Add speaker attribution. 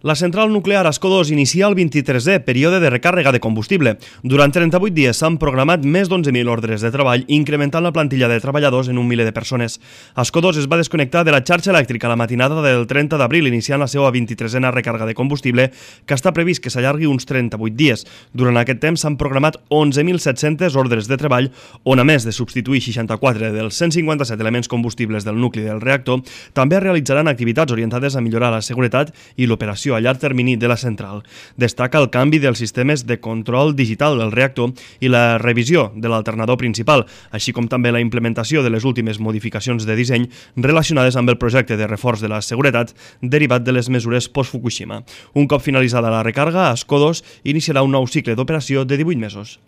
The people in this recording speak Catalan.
Speaker 1: La central nuclear Ascó 2 inicia el 23è període de recàrrega de combustible. Durant 38 dies s'han programat més d'11.000 ordres de treball, incrementant la plantilla de treballadors en 1 miler de persones. Ascó 2 es va desconnectar de la xarxa elèctrica a la matinada del 30 d'abril, iniciant la seva 23a recàrrega de combustible, que està previst que s'allargui uns 38 dies. Durant aquest temps s'han programat 11.700 ordres de treball, on a més de substituir 64 dels 157 elements combustibles del nucli del reactor, també es realitzaran activitats orientades a millorar la seguretat i l'operació a llarg termini de la central. Destaca el canvi dels sistemes de control digital del reactor i la revisió de l'alternador principal, així com també la implementació de les últimes modificacions de disseny relacionades amb el projecte de reforç de la seguretat derivat de les mesures post-Fukushima. Un cop finalitzada la recàrrega, Ascó 2 iniciarà un nou cicle d'operació de 18 mesos.